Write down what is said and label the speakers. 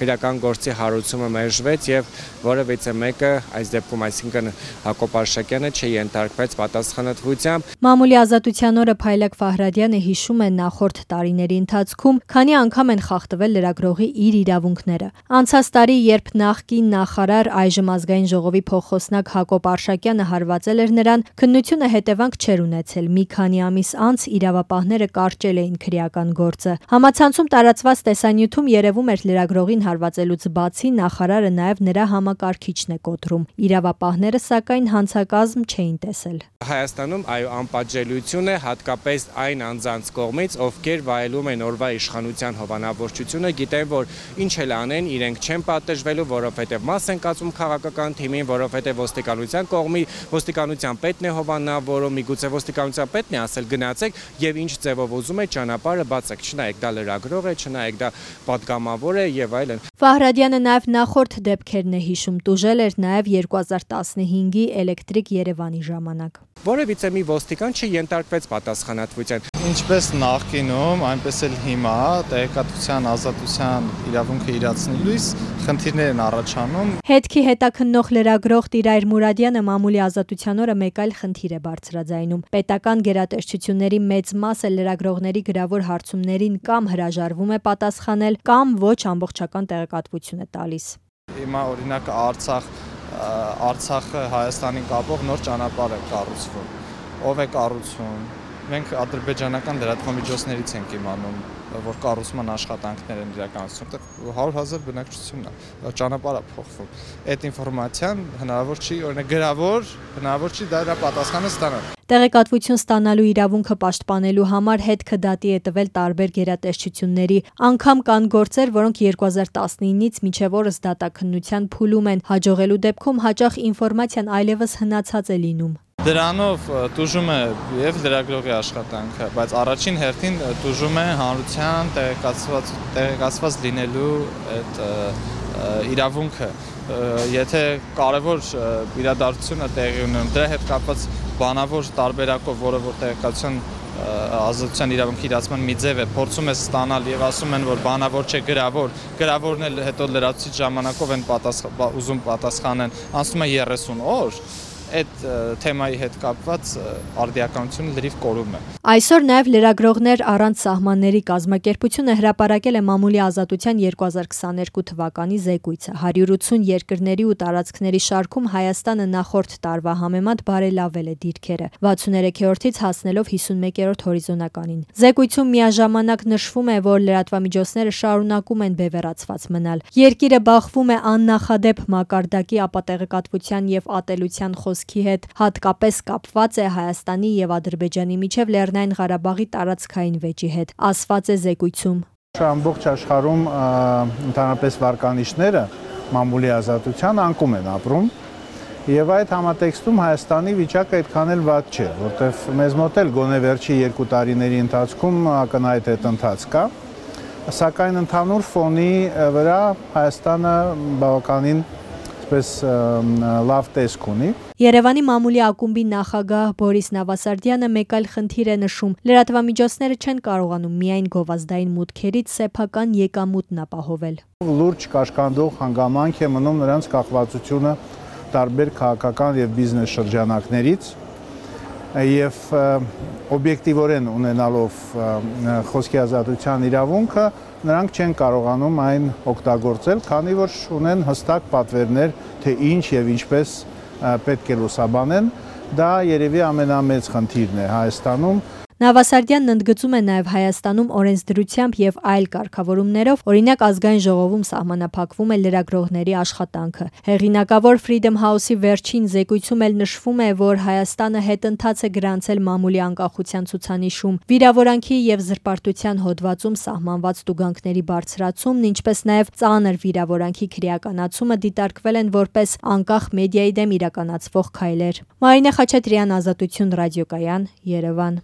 Speaker 1: քրեական գործի հարուցումը մերժվեց եւ որևիցե մեկը այս դեպքում այսինքն Հակոբ Արշակյանը չենթարկվեց պատասխանատվությամբ։
Speaker 2: Մամուլի ազատության օրը Փայլակ Ֆահրադյանը հիշում է նախորդ տարիների ընթացքում քանի անգամ են խախտվել լրագրողի իր իրավունքները։ Անցած տարի, երբ նախկին նախարար այժմ ազգային ժողովի փոխխոսնակ Հակոբ Արշակյանը հարվածել էր նրան, քննությունը հետևանք չէր ունեցել։ Մի քանի ամիս անց իրավապահները կարճել էին քրեական գործը։ Համացանցում տարածված տեսանյութում երևում էր լրագրողին հարվածելուց բացի նախարարը նաև նրա համակարգիչն է կոտրում։ Իրավապահները սակայն հանցակազմ չէին տեսել։
Speaker 1: Հայաստանում անպատժելիություն է հատկապես այն անձանց կողմից, ովքեր վայելում են օրվա իշխանության հովանավորչությունը, գիտեն, որ ինչ էլ անեն, իրենք չեն պատժվելու, որովհետև մաս են կացում քաղաքական թիմին, որովհետև ոստիկանության կողմի ոստիկանության պետն է հովանավորում, միգուցե ոստիկանության պետն է ասել գնացեք եւ ինչ ձևով ուզում է ճանապարհը բացեք, չնայեք դա լրագրող է, չնայեք դա պատգամավոր է եւ այլն։
Speaker 2: Ֆահրադյանը նաև նախորդ դեպքերն է հիշում, տուժել էր նաև 2015-ի Էլեկտրիկ Երևանի ժամանակ։
Speaker 1: Որևիցե մի ոստիկան չենթարկվեց պատասխանատվության։
Speaker 3: Ինչպես նախկինում, այնպես էլ հիմա տեղեկատվության ազատության իրավունքը իրացնելուց խնդիրներ են առաջանում։
Speaker 2: Հետքի հետաքննող լրագրող Տիրայր Մուրադյանը մամուլի ազատության օրը մեկ այլ խնդիր է բարձրաձայնում։ Պետական գերատեսչությունների մեծ մասը լրագրողների գրավոր հարցումներին կամ հրաժարվում է պատասխանել, կամ ոչ ամբողջական տեղեկատվություն է տալիս։
Speaker 3: Հիմա օրինակ Արցախը Հայաստանին կապող նոր ճանապարհ է կառուցվում։ Ով է կառուցում։ Մենք ադրբեջանական լրատվամիջոցներից ենք իմանում, որ կառուցման աշխատանքներ են իրականացնում, 100,000 բնակչությունն է, ճանապարհը փոխվում։ Այդ ինֆորմացիան հնարավոր չի, օրինակ գրավոր, հնարավոր չի դրա պատասխանը ստանալ։
Speaker 2: Տեղեկատվություն ստանալու իրավունքը պաշտպանելու համար հետքը դատի է տվել տարբեր գերատեսչությունների։ Անգամ կան գործեր, որոնք 2019-ից մինչև օրս դատաքննության փուլում են, հաջողելու դեպքում հաճախ ինֆորմացիան այլևս հնացած է լինում։
Speaker 3: Դրանով տուժում է եւ լրագրողի աշխատանքը, բայց առաջին հերթին տուժում է հանրության տեղեկացված լինելու այդ իրավունքը։ Եթե կարևոր իրադարձություն է տեղի ունենում, դրա հետ կապված բանավոր տարբերակով, որը որ տեղեկատվության ազատության իրավունքի իրացման մի ձև է, փորձում է ստանալ եւ ասում են, որ բանավոր չէ գրավորն էլ հետո լրացուցիչ ժամանակով են ուզում պատասխանեն, անցնում է 30 օր։ Այդ թեմայի հետ կապված արդիականությունը լրիվ կորում է։
Speaker 2: Այսօր նաև լրագրողներ առանց սահմանների կազմակերպությունը հրապարակել է մամուլի ազատության 2022 թվականի զեկույցը։ 180 երկրների ու տարածքների շարքում Հայաստանը նախորդ տարվա համեմատ բարելավել է դիրքերը, 63-ից հասնելով 51-րդ հորիզոնականին։ Զեկույցում միաժամանակ նշվում է, որ լրատվամիջոցները շարունակում են բևեռացված մնալ։ Երկիրը բախվում է աննախադեպ մակարդակի ապատեղեկատվության եւ ատելության հետ հատկապես կապված է Հայաստանի եւ Ադրբեջանի միջև Լեռնային Ղարաբաղի տարածքային վեճի հետ, ասված է զեկույցում։
Speaker 4: Ամբողջ աշխարհում ընդհանրապես վարկանիշները մամուլի ազատության անկում են ապրում եւ այդ համատեքստում Հայաստանի վիճակը այդքան էլ վատ չէ, որտեվ մեզ մոտ էլ գոնե վերջի 2 տարիների ընթացքում ակնհայտ այդ ընթաց կա, սակայն ընդհանուր ֆոնի վրա Հայաստանը բավականին լավ տեսք ունի։
Speaker 2: Երևանի մամուլի ակումբի նախագահ Բորիս Նավասարդյանը մեկ այլ խնդիր է նշում. լրատվամիջոցները չեն կարողանում միայն գովազդային մուտքերից սեփական եկամուտն ապահովել։
Speaker 4: Լուրջ կաշկանդող հանգամանք է մնում նրանց կախվածությունը տարբեր քաղաքական եւ բիզնես շրջանակներից եւ օբյեկտիվորեն ունենալով խոսքի ազատության իրավունքը նրանք չեն կարողանում այն օգտագործել, քանի որ ունեն հստակ պատվերներ, թե ինչ եւ ինչպես պետք է լուսաբանեն, դա երևի ամենամեծ խնդիրն է Հայաստանում։
Speaker 2: Նավասարդյանն ընդգծում է նաև Հայաստանում օրենսդրությամբ եւ այլ կարգավորումներով, օրինակ ազգային ժողովում սահմանափակվում է լրագրողների աշխատանքը։ Հեղինակավոր Freedom House-ի վերջին զեկույցում էլ նշվում է, որ Հայաստանը հետընթաց է գրանցել մամուլի անկախության ցուցանիշում, վիրավորանքի եւ զրպարտության հոդվածում սահմանված տուգանքների բարձրացումն, ինչպես նաև ծանր վիրավորանքի քրեականացումը դիտարկվել են որպես անկախ մեդիայի դեմ իրականացվող քայլեր։ Մարինե Խաչատրյան, Ազատություն ռադիոկայան, Երևան։